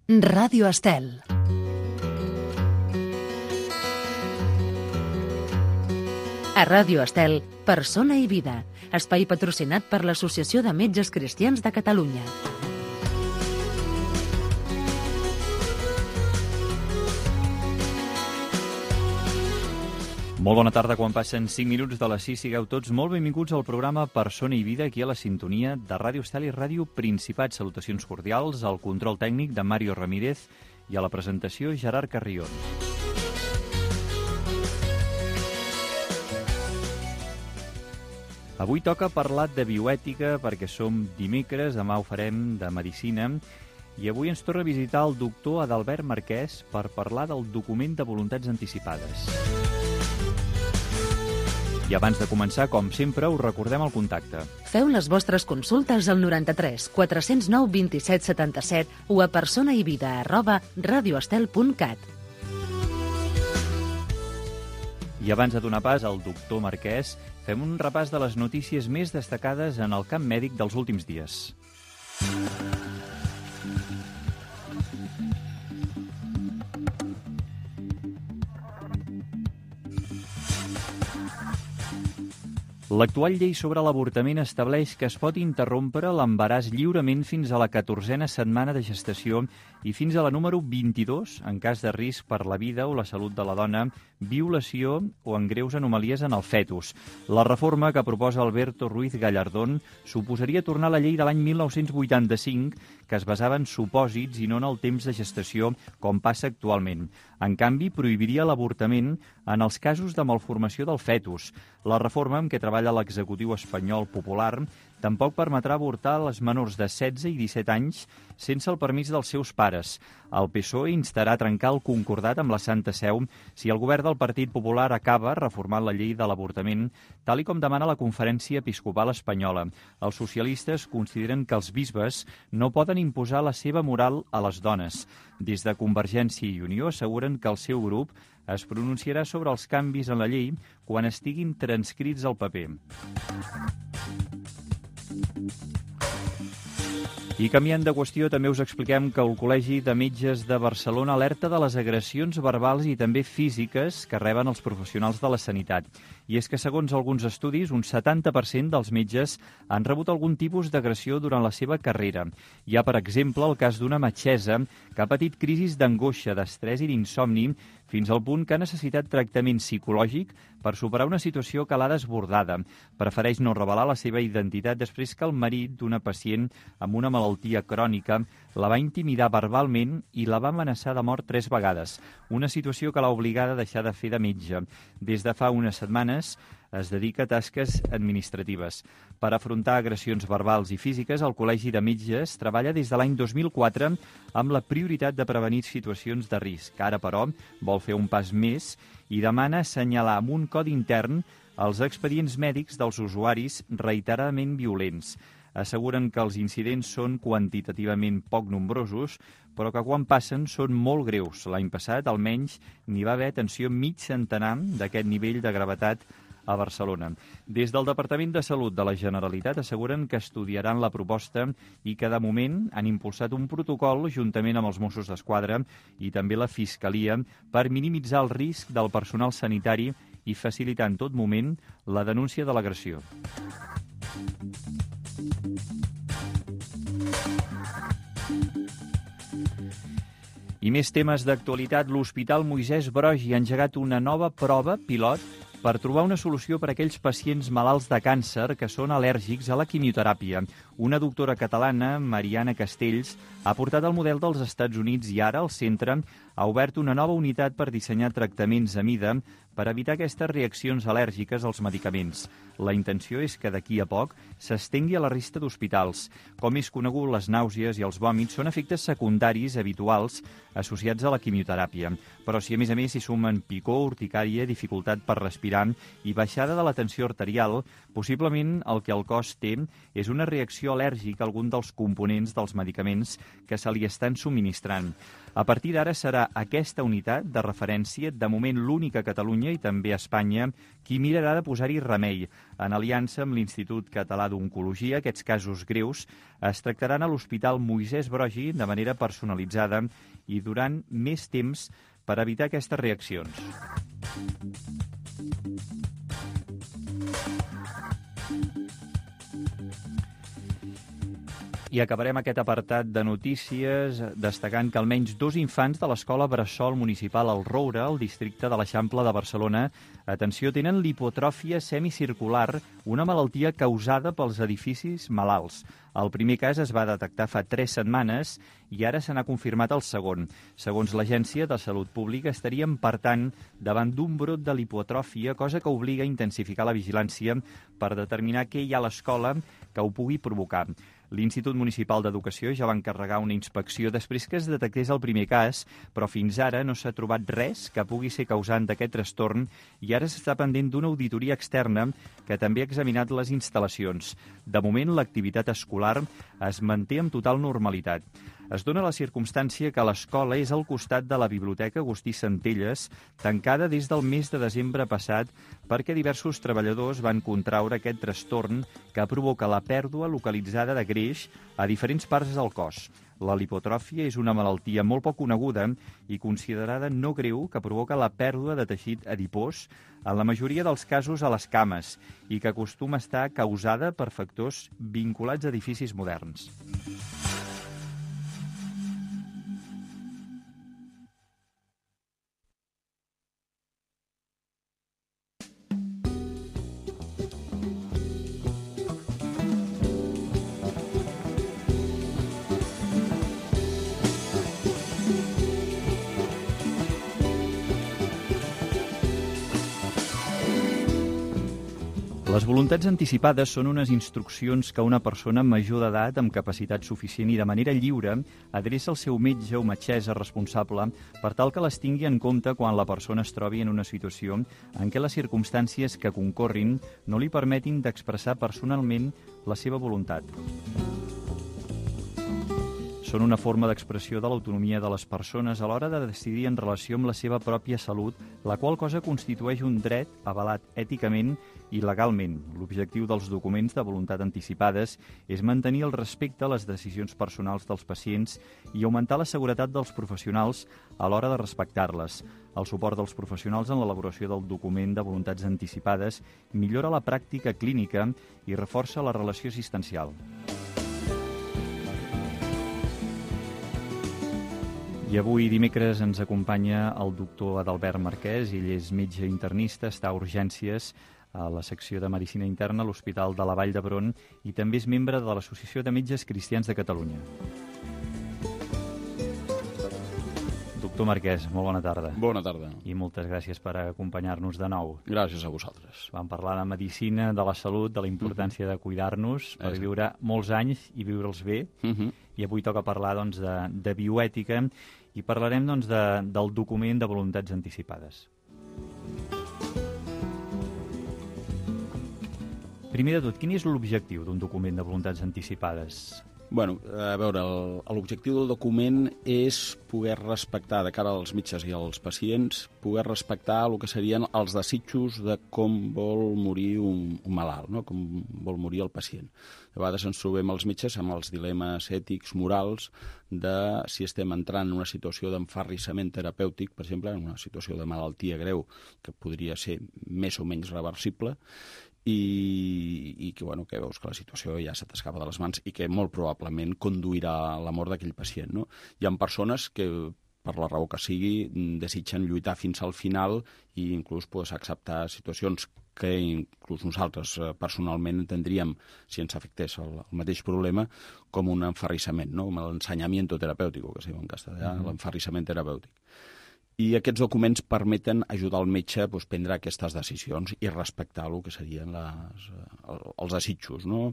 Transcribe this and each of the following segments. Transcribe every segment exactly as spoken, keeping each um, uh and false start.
Ràdio Estel. A Ràdio Estel, Persona i Vida, espai patrocinat per l'Associació de Metges Cristians de Catalunya. Molt bona tarda, quan passen cinc minuts de les sis, sigueu tots molt benvinguts al programa Persona i Vida, aquí a la sintonia de Ràdio Estel i Ràdio Principat. Salutacions cordials, al control tècnic de Mario Ramírez i a la presentació Gerard Carrion. Avui toca parlar de bioètica perquè som dimecres, demà ho farem de medicina, i avui ens torna a visitar el doctor Adalbert Marquès per parlar del document de voluntats anticipades. I abans de començar, com sempre, us recordem el contacte. Feu les vostres consultes al noranta-tres quatre-cents nou vint-i-set setanta-set o a personaivida arroba radioestel punt cat. I abans de donar pas al doctor Marquès, fem un repàs de les notícies més destacades en el camp mèdic dels últims dies. L'actual llei sobre l'avortament estableix que es pot interrompre l'embaràs lliurement fins a la catorzena setmana de gestació i fins a la número vint-i-dos en cas de risc per la vida o la salut de la dona, violació o en greus anomalies en el fetus. La reforma que proposa Alberto Ruiz Gallardón suposaria tornar a la llei de l'any mil nou-cents vuitanta-cinc, que es basava en supòsits i no en el temps de gestació, com passa actualment. En canvi, prohibiria l'avortament en els casos de malformació del fetus. La reforma amb què treballa l'executiu espanyol popular tampoc permetrà avortar les menors de setze i disset anys sense el permís dels seus pares. El P S O E instarà a trencar el concordat amb la Santa Seu si el govern del Partit Popular acaba reformant la llei de l'avortament, tal i com demana la Conferència Episcopal Espanyola. Els socialistes consideren que els bisbes no poden imposar la seva moral a les dones. Des de Convergència i Unió asseguren que el seu grup es pronunciarà sobre els canvis en la llei quan estiguin transcrits al paper. I canviant de qüestió, també us expliquem que el Col·legi de Metges de Barcelona alerta de les agressions verbals i també físiques que reben els professionals de la sanitat. I és que, segons alguns estudis, un setanta per cent dels metges han rebut algun tipus d'agressió durant la seva carrera. Hi ha, per exemple, el cas d'una metgessa que ha patit crisis d'angoixa, d'estrès i d'insomni, fins al punt que ha necessitat tractament psicològic per superar una situació que l'ha desbordada. Prefereix no revelar la seva identitat després que el marit d'una pacient amb una malaltia crònica la va intimidar verbalment i la va amenaçar de mort tres vegades, una situació que l'ha obligada a deixar de fer de metge. Des de fa unes setmanes es dedica a tasques administratives. Per afrontar agressions verbals i físiques, el Col·legi de Metges treballa des de l'any dos mil quatre amb la prioritat de prevenir situacions de risc. Ara, però, vol fer un pas més i demana assenyalar amb un codi intern els expedients mèdics dels usuaris reiteradament violents. Asseguren que els incidents són quantitativament poc nombrosos, però que quan passen són molt greus. L'any passat, almenys, n'hi va haver, atenció, mig centenar d'aquest nivell de gravetat a Barcelona. Des del Departament de Salut de la Generalitat asseguren que estudiaran la proposta i que de moment han impulsat un protocol juntament amb els Mossos d'Esquadra i també la Fiscalia per minimitzar el risc del personal sanitari i facilitar en tot moment la denúncia de l'agressió. I més temes d'actualitat. L'Hospital Moisès Broggi ha engegat una nova prova pilot per trobar una solució per a aquells pacients malalts de càncer que són al·lèrgics a la quimioteràpia. Una doctora catalana, Mariana Castells, ha portat el model dels Estats Units i ara el centre ha obert una nova unitat per dissenyar tractaments a mida per evitar aquestes reaccions al·lèrgiques als medicaments. La intenció és que d'aquí a poc s'estengui a la resta d'hospitals. Com és conegut, les nàusees i els vòmits són efectes secundaris habituals associats a la quimioteràpia. Però si a més a més s'hi sumen picor, urticària, dificultat per respirar i baixada de la tensió arterial, possiblement el que el cos té és una reacció al·lèrgica a algun dels components dels medicaments que se li estan subministrant. A partir d'ara serà aquesta unitat de referència, de moment l'única a Catalunya, Catalunya i també a Espanya, qui mirarà de posar-hi remei. En aliança amb l'Institut Català d'Oncologia, aquests casos greus es tractaran a l'Hospital Moisès Broggi de manera personalitzada i durant més temps per evitar aquestes reaccions. I acabarem aquest apartat de notícies destacant que almenys dos infants de l'escola Bressol Municipal al Roure, al districte de l'Eixample de Barcelona, atenció, tenen lipotròfia semicircular, una malaltia causada pels edificis malalts. El primer cas es va detectar fa tres setmanes i ara se n'ha confirmat el segon. Segons l'Agència de Salut Pública, estaríem, per tant, davant d'un brot de lipotròfia, cosa que obliga a intensificar la vigilància per determinar què hi ha a l'escola que ho pugui provocar. L'Institut Municipal d'Educació ja va encarregar una inspecció després que es detectés el primer cas, però fins ara no s'ha trobat res que pugui ser causant d'aquest trastorn i ara s'està pendent d'una auditoria externa que també ha examinat les instal·lacions. De moment, l'activitat escolar es manté amb total normalitat. Es dona la circumstància que l'escola és al costat de la Biblioteca Agustí Centelles, tancada des del mes de desembre passat perquè diversos treballadors van contraure aquest trastorn que provoca la pèrdua localitzada de greix a diferents parts del cos. La lipotròfia és una malaltia molt poc coneguda i considerada no greu que provoca la pèrdua de teixit adipós, en la majoria dels casos a les cames, i que acostuma a estar causada per factors vinculats a edificis moderns. Les voluntats anticipades són unes instruccions que una persona major d'edat amb capacitat suficient i de manera lliure adreça al seu metge o metgessa responsable per tal que les tingui en compte quan la persona es trobi en una situació en què les circumstàncies que concorrin no li permetin d'expressar personalment la seva voluntat. Són una forma d'expressió de l'autonomia de les persones a l'hora de decidir en relació amb la seva pròpia salut, la qual cosa constitueix un dret avalat èticament i legalment. L'objectiu dels documents de voluntat anticipades és mantenir el respecte a les decisions personals dels pacients i augmentar la seguretat dels professionals a l'hora de respectar-les. El suport dels professionals en l'elaboració del document de voluntats anticipades millora la pràctica clínica i reforça la relació assistencial. I avui, dimecres, ens acompanya el doctor Adalbert Marquès. Ell és metge internista, està a urgències a la secció de Medicina Interna a l'Hospital de la Vall d'Hebron i també és membre de l'Associació de Metges Cristians de Catalunya. Doctor Marquès, molt bona tarda. Bona tarda. I moltes gràcies per acompanyar-nos de nou. Gràcies a vosaltres. Vam parlar de medicina, de la salut, de la importància de cuidar-nos per viure molts anys i viure'ls bé. Uh-huh. I avui toca parlar doncs, de, de bioètica i parlarem doncs, de, del document de voluntats anticipades. Primer de tot, quin és l'objectiu d'un document de voluntats anticipades? Bueno, a veure, l'objectiu del document és poder respectar, de cara als metges i als pacients, poder respectar el que serien els desitjos de com vol morir un, un malalt, no? Com vol morir el pacient. A vegades ens trobem els metges amb els dilemes ètics, morals, de si estem entrant en una situació d'enfarrissament terapèutic, per exemple, en una situació de malaltia greu que podria ser més o menys reversible, i, i que, bueno, que veus que la situació ja se t'escapa de les mans i que molt probablement conduirà a la mort d'aquell pacient, no? Hi ha persones que, per la raó que sigui, desitgen lluitar fins al final i inclús pues, acceptar situacions que inclús nosaltres personalment entendríem, si ens afectés el, el mateix problema, com un enfarrissament, no? Com l'ensenyamiento terapèutic, que es diu en castellà, mm-hmm. l'enfarrissament terapèutic. I aquests documents permeten ajudar el metge a doncs, prendre aquestes decisions i respectar el que serien les, els desitjos, no?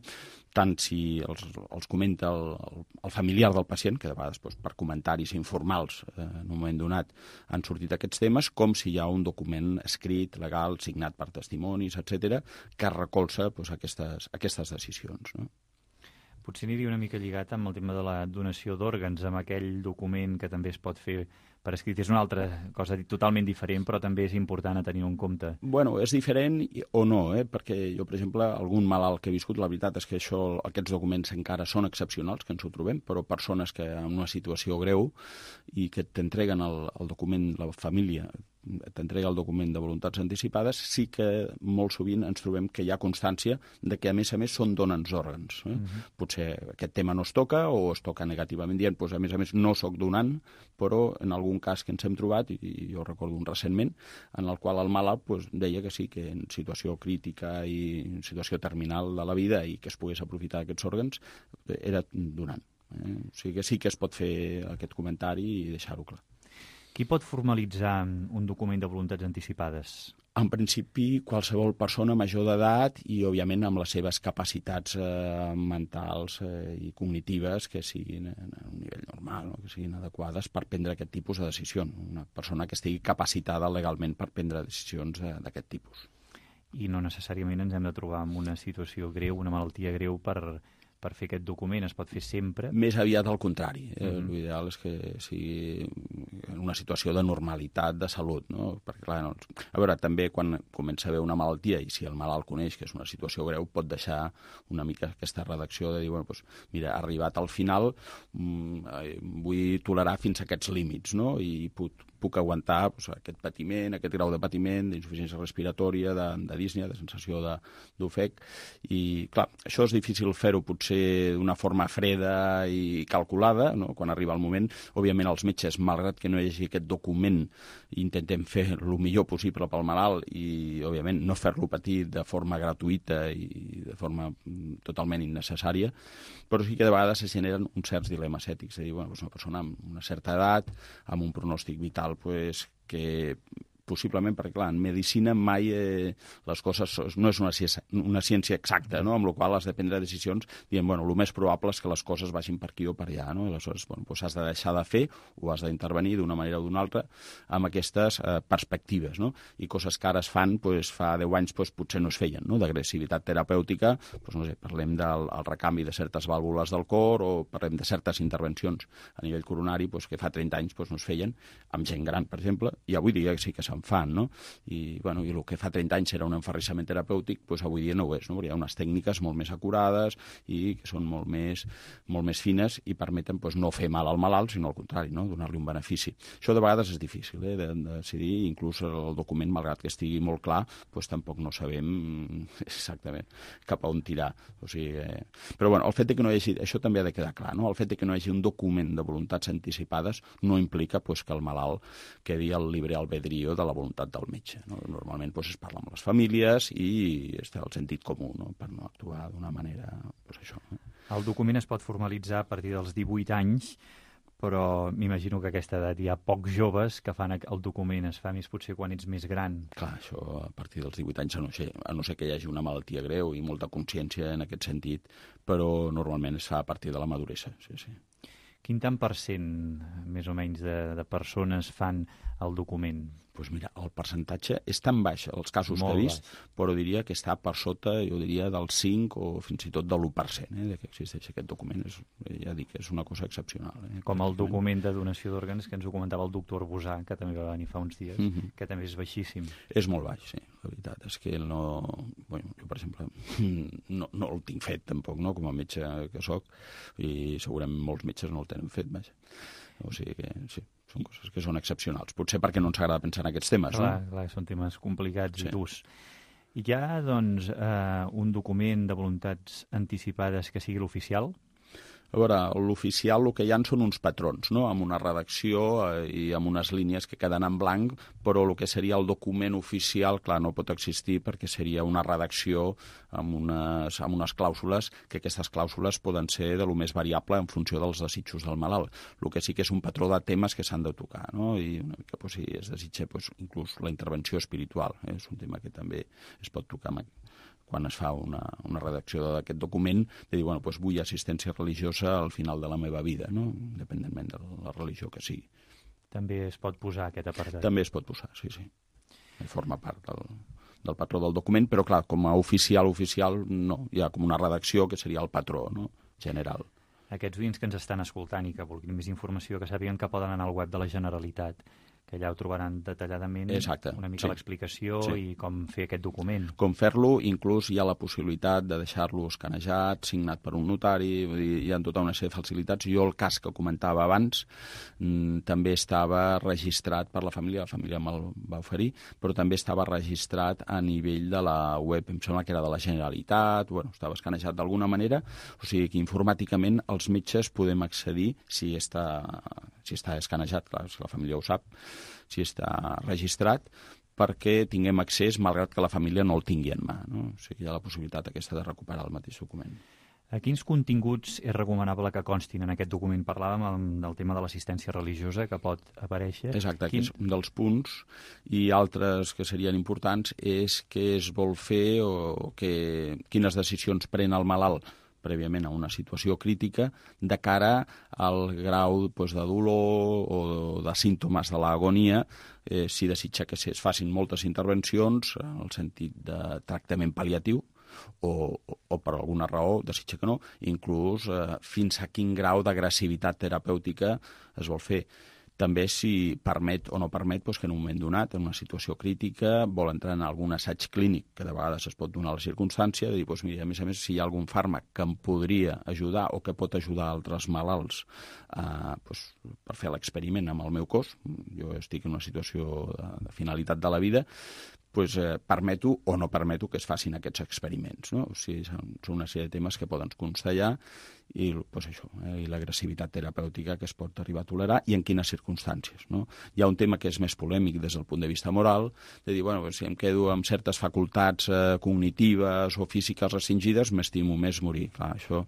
Tant si els, els comenta el, el familiar del pacient, que de vegades doncs, per comentaris informals eh, en un moment donat han sortit aquests temes, com si hi ha un document escrit, legal, signat per testimonis, etcètera, que recolza doncs, aquestes, aquestes decisions, no? Potser aniria una mica lligat amb el tema de la donació d'òrgans, amb aquell document que també es pot fer per escrit. És una altra cosa totalment diferent, però també és important a tenir en compte. Bueno, és diferent o no, eh? Perquè jo, per exemple, algun malalt que he viscut, la veritat és que això, aquests documents encara són excepcionals, que ens ho trobem, però persones que en una situació greu i que t'entreguen el, el document, la família t'entrega el document de voluntats anticipades, sí que molt sovint ens trobem que hi ha constància de que, a més a més, són donants òrgans. Eh? Uh-huh. Potser aquest tema no es toca o es toca negativament dient, doncs, a més a més, no sóc donant, però en algun cas que ens hem trobat, i jo recordo un recentment, en el qual el malalt doncs, deia que sí, que en situació crítica i en situació terminal de la vida i que es pogués aprofitar d'aquests òrgans, era donant. Eh? O sigui que sí que es pot fer aquest comentari i deixar-ho clar. Qui pot formalitzar un document de voluntats anticipades? En principi, qualsevol persona major d'edat i, òbviament, amb les seves capacitats eh, mentals eh, i cognitives que siguin a un nivell normal, no? Que siguin adequades per prendre aquest tipus de decisions. Una persona que estigui capacitada legalment per prendre decisions eh, d'aquest tipus. I no necessàriament ens hem de trobar en una situació greu, una malaltia greu per... per fer aquest document, es pot fer sempre? Més aviat al contrari. Eh? Mm-hmm. L'ideal és que sigui en una situació de normalitat, de salut, no? Perquè, clar, no... A veure, també quan comença a haver una malaltia i si el malalt coneix que és una situació greu, pot deixar una mica aquesta redacció de dir, bueno, doncs, mira, arribat al final, mmm, vull tolerar fins a aquests límits, no? I puc, puc aguantar doncs, aquest patiment, aquest grau de patiment, d'insuficiència respiratòria, de, de dísnia, de sensació d'ofec. I, clar, això és difícil fer-ho potser d'una forma freda i calculada, no? Quan arriba el moment. Òbviament, els metges, malgrat que no hi hagi aquest document, intentem fer el millor possible pel malalt i, òbviament, no fer-lo patir de forma gratuïta i de forma totalment innecessària, però sí que de vegades es generen uns certs dilemes ètics. És a dir, bueno, doncs una persona amb una certa edat, amb un pronòstic vital pues, que possiblement, perquè clar, en medicina mai eh, les coses no és una ciència, una ciència exacta, no? Amb la qual has de prendre decisions dient, bueno, el més probable és que les coses vagin per aquí o per allà, no? I aleshores, bueno, doncs has de deixar de fer o has d'intervenir d'una manera o d'una altra amb aquestes eh, perspectives, no? I coses que ara es fan, doncs, fa deu anys doncs, potser no es feien, no? D'agressivitat terapèutica, doncs, no sé, parlem del el recanvi de certes vàlvules del cor o parlem de certes intervencions a nivell coronari doncs, que fa trenta anys doncs, no es feien, amb gent gran, per exemple, i avui dia sí que se'n fan, no? I, bueno, i el que fa trenta anys era un enferrissament terapèutic, doncs avui dia no ho és, no? Hi ha unes tècniques molt més acurades i que són molt més, molt més fines i permeten doncs, no fer mal al malalt, sinó al contrari, no? Donar-li un benefici. Això de vegades és difícil, eh? de, de decidir, inclús el document, malgrat que estigui molt clar, doncs tampoc no sabem exactament cap a on tirar. O sigui, eh... Però bueno, el fet de que no hi hagi, això també ha de quedar clar, no? El fet de que no hi hagi un document de voluntats anticipades no implica doncs, que el malalt quedi al libre albedrío de la voluntat del metge. No? Normalment doncs, es parla amb les famílies i està el sentit comú, no? Per no actuar d'una manera... Doncs, això, eh? El document es pot formalitzar a partir dels divuit anys, però m'imagino que a aquesta edat hi ha pocs joves que fan el document, es fa més potser quan ets més gran. Clar, això a partir dels divuit anys, a no ser, a no ser que hi hagi una malaltia greu i molta consciència en aquest sentit, però normalment es fa a partir de la maduresa, sí, sí. Quin tant per cent, més o menys, de, de persones fan el document? Doncs pues mira, el percentatge és tan baix, els casos Molt que he vist, baix. Però diria que està per sota, jo diria, del cinc o fins i tot de l'u per cent, eh, de que existeix aquest document. És, ja dic, és una cosa excepcional. Eh, Com el document de donació d'òrgans que ens ho comentava el doctor Bosà, que també va venir fa uns dies, mm-hmm. que també és baixíssim. És molt baix, sí. La veritat és que no... Bueno, jo, per exemple, no, no el tinc fet, tampoc, no?, com a metge que soc, i segurament molts metges no el tenen fet, vaja. O sigui que, sí, són coses que són excepcionals. Potser perquè no ens agrada pensar en aquests temes, clar, no? Clar, són temes complicats sí. i durs. Hi ha, doncs, eh, un document de voluntats anticipades que sigui l'oficial? A veure, l'oficial el que hi ha són uns patrons, no?, amb una redacció eh, i amb unes línies que queden en blanc, però el que seria el document oficial, clar, no pot existir perquè seria una redacció amb unes, amb unes clàusules, que aquestes clàusules poden ser de lo més variable en funció dels desitjos del malalt. El que sí que és un patró de temes que s'han de tocar, no?, i una mica, pues, si es desitja, pues, inclús la intervenció espiritual, eh? És un tema que també es pot tocar amb quan es fa una, una redacció d'aquest document, de dir, bueno, doncs vull assistència religiosa al final de la meva vida, no?, independentment de la religió que sigui. També es pot posar aquest apartat? També es pot posar, sí, sí. Forma part del, del patró del document, però clar, com a oficial, oficial, no. Hi ha com una redacció que seria el patró, no?, general. Aquests oients que ens estan escoltant i que vulguin més informació, que sàpiguen que poden anar al web de la Generalitat, que allà ho trobaran detalladament. Exacte. Una mica Sí. l'explicació Sí. i com fer aquest document. Com fer-lo, inclús hi ha la possibilitat de deixar-lo escanejat, signat per un notari, vull dir, hi ha tota una sèrie de facilitats. Jo el cas que comentava abans mmm, també estava registrat per la família, la família me'l va oferir, però també estava registrat a nivell de la web, em sembla que era de la Generalitat, bueno, estava escanejat d'alguna manera, o sigui que informàticament els metges podem accedir si està, si està escanejat, clar, si la família ho sap, si està registrat, perquè tinguem accés, malgrat que la família no el tingui en mà. No? O sigui, hi ha la possibilitat aquesta de recuperar el mateix document. A quins continguts és recomanable que constin en aquest document? Parlàvem del tema de l'assistència religiosa que pot aparèixer. Exacte, Quin... que és un dels punts, i altres que serien importants és què es vol fer o que, quines decisions pren el malalt prèviament a una situació crítica de cara al grau doncs, de dolor o de símptomes de l'agonia, eh, si desitja que es facin moltes intervencions en el sentit de tractament pal·liatiu, o, o, o per alguna raó desitja que no, inclús eh, fins a quin grau d'agressivitat terapèutica es vol fer. També si permet o no permet doncs, que en un moment donat, en una situació crítica, vol entrar en algun assaig clínic, que de vegades es pot donar la circumstància, de dir, doncs, mira, a més a més, si hi ha algun fàrmac que em podria ajudar o que pot ajudar altres malalts eh, doncs, per fer l'experiment amb el meu cos, jo estic en una situació de, de finalitat de la vida, pues, eh, permeto o no permeto que es facin aquests experiments. No? O sigui, són, són una sèrie de temes que poden constar allà i, pues, això, eh, i l'agressivitat terapèutica que es pot arribar a tolerar i en quines circumstàncies. No? Hi ha un tema que és més polèmic des del punt de vista moral, de dir, bueno, si em quedo amb certes facultats eh, cognitives o físiques restringides, m'estimo més morir. Clar, això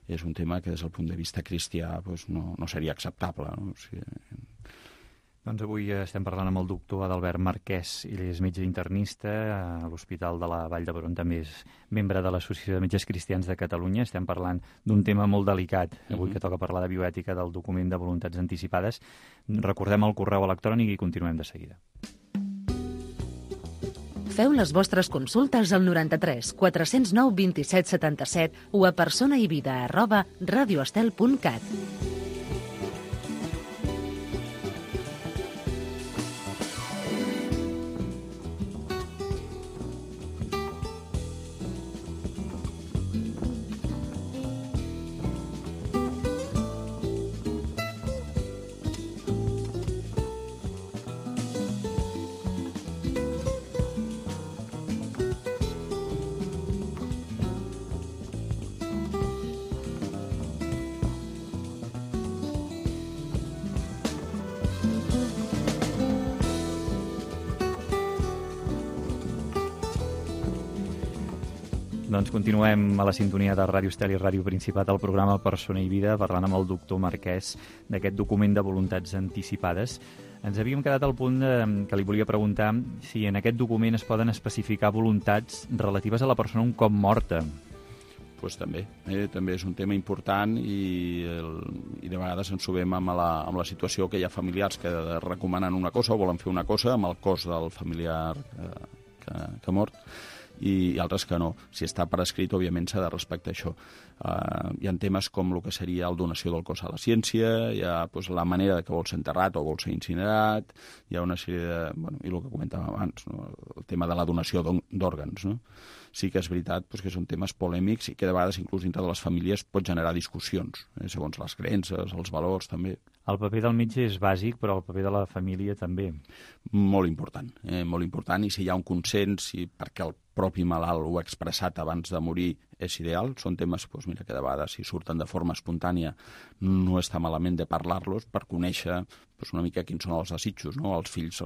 és un tema que des del punt de vista cristià pues, no, no seria acceptable. No? O sigui, Doncs avui estem parlant amb el doctor Adalbert Marquès, ell és metge internista a l'Hospital de la Vall d'Hebron, també és membre de l'Associació de Metges Cristians de Catalunya. Estem parlant d'un tema molt delicat, avui que toca parlar de bioètica del document de voluntats anticipades. Recordem el correu electrònic i continuem de seguida. Feu les vostres consultes al noranta-tres quatre-cents nou vint-i-set setanta-set o a personaivida arroba radioestel punt cat. Doncs continuem a la sintonia de Ràdio Estel i Ràdio Principat al programa Persona i Vida, parlant amb el doctor Marquès d'aquest document de voluntats anticipades. Ens havíem quedat al punt de, que li volia preguntar si en aquest document es poden especificar voluntats relatives a la persona un cop morta. Pues també, eh? també és un tema important i, el, i de vegades ens trobem amb la, amb la situació que hi ha familiars que recomanen una cosa o volen fer una cosa amb el cos del familiar que, que, que ha mort, i altres que no. Si està per escrit, òbviament s'ha de respectar això. Uh, hi ha temes com el que seria la donació del cos a la ciència, hi ha pues, la manera de que vol ser enterrat o vol ser incinerat, hi ha una sèrie de... Bueno, i el que comentàvem abans, no? El tema de la donació d'òrgans. No? Sí que és veritat pues, que són temes polèmics i que de vegades inclús dintre de les famílies pot generar discussions, eh? segons les creences, els valors també. El paper del metge és bàsic, però el paper de la família també. Molt important, eh? molt important, i si hi ha un consens, i perquè el propi malalt ho ha expressat abans de morir, és ideal. Són temes doncs, mira, que de vegades, si surten de forma espontània, no està malament de parlar-los per conèixer doncs, una mica quins són els desitjos, no? Els fills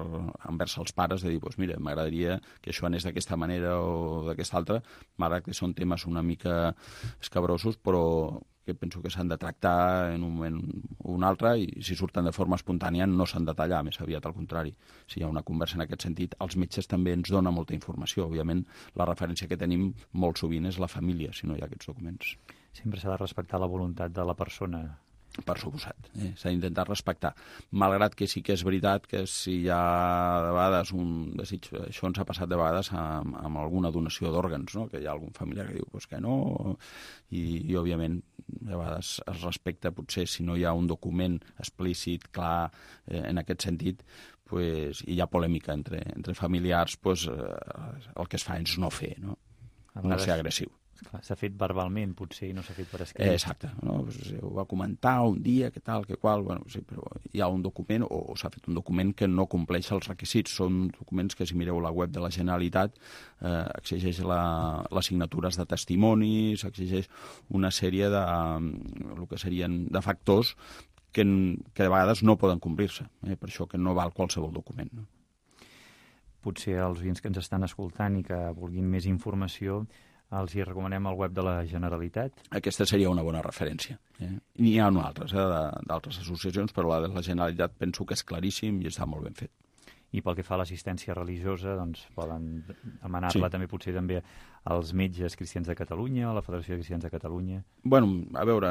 envers els pares, de dir, doncs, mira, m'agradaria que això anés d'aquesta manera o d'aquesta altra, malgrat que són temes una mica escabrosos, però que penso que s'han de tractar en un moment o un altre, i si surten de forma espontània no s'han de tallar, més aviat al contrari. Si hi ha una conversa en aquest sentit, els metges també ens donen molta informació. Òbviament, la referència que tenim molt sovint és la família, si no hi ha aquests documents. Sempre s'ha de respectar la voluntat de la persona. Per suposat, eh? s'ha d'intentar respectar. Malgrat que sí que és veritat que si hi ha de vegades un desig, això ens ha passat de vegades amb, amb alguna donació d'òrgans, no? Que hi ha algun familiar que diu pues que no, i, i òbviament de vegades es respecta, potser si no hi ha un document explícit, clar, eh, en aquest sentit, pues, i hi ha polèmica entre, entre familiars, pues, eh, el que es fa és no fer, no, no ser agressiu. S'ha fet verbalment, potser, i no s'ha fet per escrit. Eh, exacte. No? Pues, ho va comentar un dia, que tal, que qual... Bueno, sí, però hi ha un document, o, o s'ha fet un document que no compleix els requisits. Són documents que, si mireu la web de la Generalitat, eh, exigeix la, les signatures de testimoni, s'exigeix una sèrie de, el que serien de factors que, que de vegades no poden complir-se. Eh? Per això que no val qualsevol document. No? Potser els oients que ens estan escoltant i que vulguin més informació, els hi recomanem el web de la Generalitat. Aquesta seria una bona referència. Eh? N'hi ha altres, eh, d'altres associacions, però la de la Generalitat penso que és claríssim i està molt ben fet. I pel que fa a l'assistència religiosa, doncs poden demanar-la sí. també potser també als metges cristians de Catalunya, a la Federació de Cristians de Catalunya. Bueno, a veure,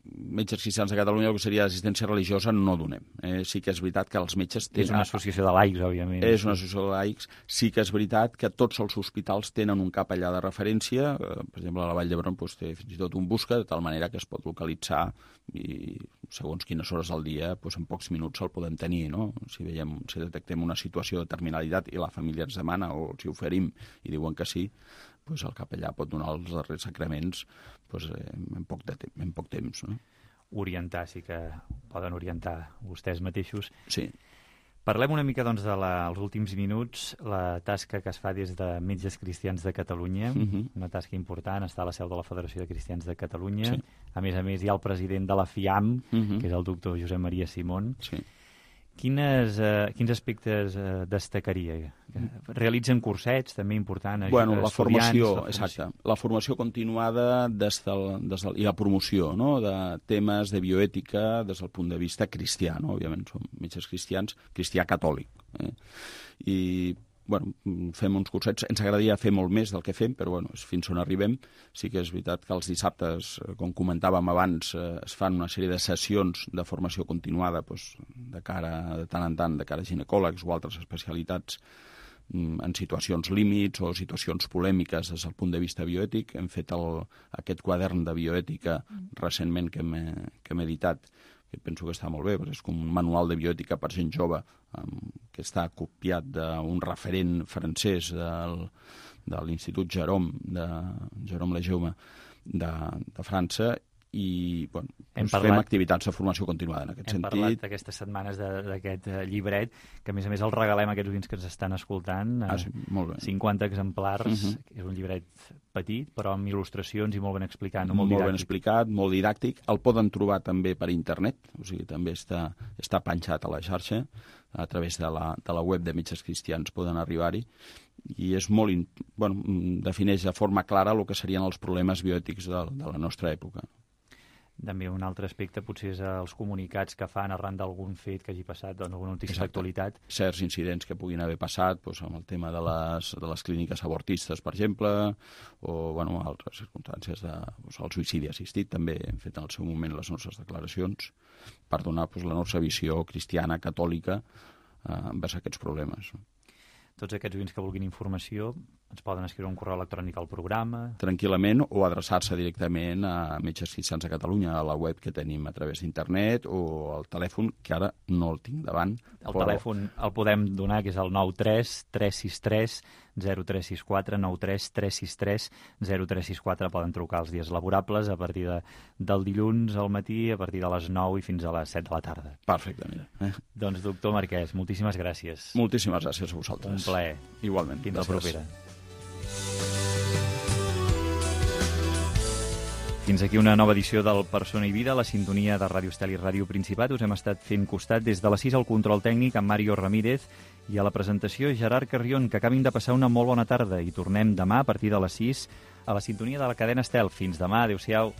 metges cristians de Catalunya, el que seria assistència religiosa, no donem. Eh, sí que és veritat que els metges... És una associació de laics, òbviament. És una associació de laics. Sí que és veritat que tots els hospitals tenen un capellà de referència. Eh, per exemple, a la Vall d'Hebron doncs, té fins i tot un busca, de tal manera que es pot localitzar i segons quines hores al dia, doncs, en pocs minuts el podem tenir, no? Si veiem, si detectem una situació de terminalitat i la família ens demana o els hi oferim i diuen que sí, doncs el capellà pot donar els darrers sacraments doncs, en, poc de te en poc temps. No? Orientar, sí que poden orientar vostès mateixos. Sí. Parlem una mica doncs, de la, els últims minuts, la tasca que es fa des de Metges Cristians de Catalunya, uh -huh. una tasca important, està a la seu de la Federació de Cristians de Catalunya. Sí. A més a més, hi ha el president de la FIAM, uh -huh. que és el doctor Josep Maria Simón. Sí. Quines, eh, quins aspectes eh, destacaria? Realitzen cursets, també important? Bueno, la formació, exacte. La formació continuada des del, des del, i la promoció, no?, de temes de bioètica des del punt de vista cristià, no? Òbviament som metges cristians, cristià catòlic. Eh? I bueno, fem uns cursets. Ens agradaria fer molt més del que fem, però bueno, fins on arribem. Sí que és veritat que els dissabtes, com comentàvem abans, eh, es fan una sèrie de sessions de formació continuada doncs, de cara, de tant en tant, de cara a ginecòlegs o altres especialitats en situacions límits o situacions polèmiques des del punt de vista bioètic. Hem fet el, aquest quadern de bioètica recentment que hem, que hem editat, que penso que està molt bé, perquè és com un manual de bioètica per gent jove, um, que està copiat d'un referent francès del, de l'Institut Jérôme, de Jérôme Lejeune, de, de França, i bueno, doncs parlat, fem activitats de formació continuada en aquest hem sentit. Hem parlat aquestes setmanes d'aquest llibret, que a més a més el regalem a aquests oients que ens estan escoltant. Ah, sí, molt bé. cinquanta exemplars, uh -huh. És un llibret petit, però amb il·lustracions i molt ben explicat, no? Molt, molt ben explicat, molt didàctic. El poden trobar també per internet, o sigui, també està, està penjat a la xarxa, a través de la, de la web de Metges Cristians poden arribar-hi, i és molt, bueno, defineix de forma clara el que serien els problemes bioètics de, de la nostra època. També un altre aspecte potser és els comunicats que fan arran d'algun fet que hagi passat, doncs alguna notícia d'actualitat. Certs incidents que puguin haver passat, doncs, amb el tema de les, de les clíniques abortistes, per exemple, o bueno, altres circumstàncies de doncs, el suïcidi assistit. També hem fet en el seu moment les nostres declaracions per donar doncs, la nostra visió cristiana, catòlica, eh, envers aquests problemes. Tots aquests oients que vulguin informació ens poden escriure un correu electrònic al programa. Tranquil·lament, o adreçar-se directament a Metges Cristians de Catalunya, a la web que tenim a través d'internet, o al telèfon, que ara no el tinc davant. El però... telèfon el podem donar, que és el nou tres tres sis tres zero tres sis quatre, nou tres tres sis tres zero tres sis quatre. Poden trucar els dies laborables a partir de, del dilluns al matí, a partir de les nou i fins a les set de la tarda. Perfecte, mira. Eh? Doncs, doctor Marquès, moltíssimes gràcies. Moltíssimes gràcies a vosaltres. Un plaer. Igualment. Fins la propera. Fins aquí una nova edició del Persona i Vida, la sintonia de Ràdio Estel i Ràdio Principat. Us hem estat fent costat des de les sis al control tècnic amb Mario Ramírez i a la presentació Gerard Carrión. Que acabin de passar una molt bona tarda i tornem demà a partir de les sis a la sintonia de la cadena Estel. Fins demà, adéu-siau.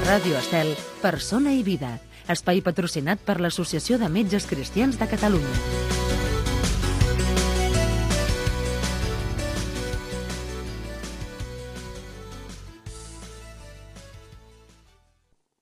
Ràdio Estel, Persona i Vida, espai patrocinat per l'Associació de Metges Cristians de Catalunya.